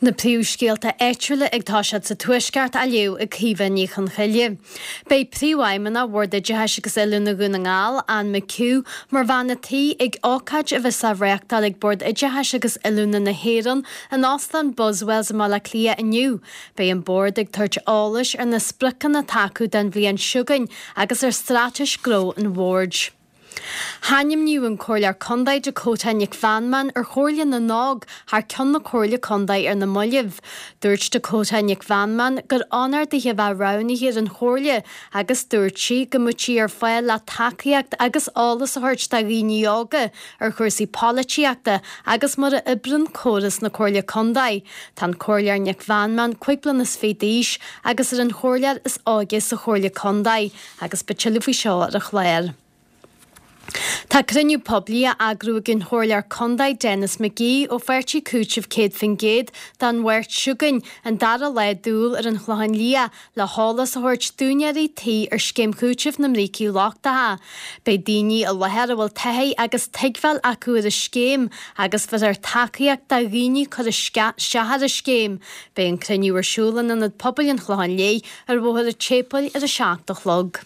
Na príomhscéalta áitiúla ag toiseacht sa Tuaisceart á léamh ag Caoimhe Ní Chonchoille. Beidh Príomhfheidhmeannach Bhord Oideachais agus Oiliúna Dhún na nGall, Anne McHugh, mar bhean a' tí ag ócáid a bheas á reáchtáil ag Bord Oideachais agus Oiliúna na hÉireann in Óstán Buswells i mBaile Átha Cliath inniu. Beidh an Bord ag tabhairt eolais ar na spriocanna atá acu don bhliain seo chugainn agus ar straitéis gnó an Bhoird. Ainmníodh an Comhairleoir Contae Dakota Nic Mheanman ar Chomhairle na nÓg thar ceann na Comhairle Contae ar na mallaibh. Dúirt Dakota Nic Mheanman gur onóir dithe a bheith roghnaithe ar an Chomhairle agus dúirt sí go mbeadh sí ar fáil le tacaíocht agus eolas a thabhairt do dhaoine óga ar chúrsaí polaitíochta agus mar a oibríonn córas na Comhairle Contae. Tá an Comhairleoir Nic Mheanman 25 bliana d'aois agus ar an chomhairleoir is óige sa Chomhairle Contae. Agus beidh tuilleadh faoi seo ar an chlár. Tá cruinniú poiblí á eagrú ag an Chomhairleoir Contae Denis McGee ó Pháirtí Cúitimh 100% don Mháirt seo chugainn, an dara lá d'Iúil ar an Chlochán Liath le heolas a thabhairt d'úinéirí tí ar Scéim Chúitimh na mBrící Lochtacha. Beidh daoine i láthair a bhfuil taithí agus tuigbheáil acu ar an scéim agus bheirfear tacaíocht do dhaoine cur isteach ar an scéim. Beidh an cruinniú ar siúl in Ionad Pobail an Chlocháin Léith ar Bhóthar an tSéipéil ar 7 a chlog.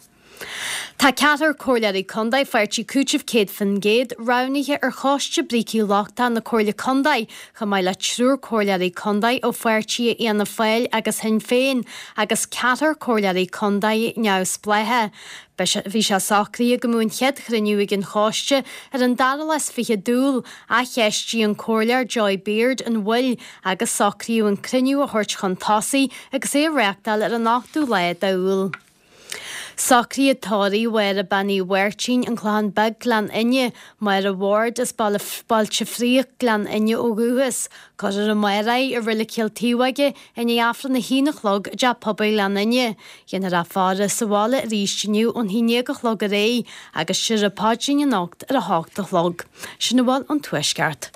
Tá ceathrar Comhairleoirí Contae Pháirtí Cúitimh 100% roghnaithe ar Choiste Brící Lochtacha na Comhairle Contae, chomh maith le triúr Comhairleoirí Contae ó pháirtithe Fhianna Fáil agus Shinn Féin agus ceathrar Comhairleoirí Contae neamhspleácha. Bhí sé socraithe go mbeadh an chéad chruinniú ag an choiste ar an dara lá is fiche d'Iúil, ach cheistigh an Comhairleoir Joy Beard an mhoill agus socraíodh an cruinniú a thabhairt chun tosaigh agus é a reáchtáil ar an ochtú lá d'Iúil. Socraíodh tórramh Mháire Bean Uí Mháirtín, An Clochán Beag, Gleann Fhinne, Máire Ward as Bailte Fraoich, Gleann Fhinne ó dhúchas. Cuirfear amárach í i Reilig Chill Taobhóige i ndiaidh Aifreann a haon a chlog i dTeach Pobail Ghleann Fhinne. Dhéanfar í a faire sa bhaile arís inniu ón haon déag a chlog ar aghaidh agus tiúrfar paidrín anocht ar a hocht a chlog. Sin a bhfuil ón Tuaisceart.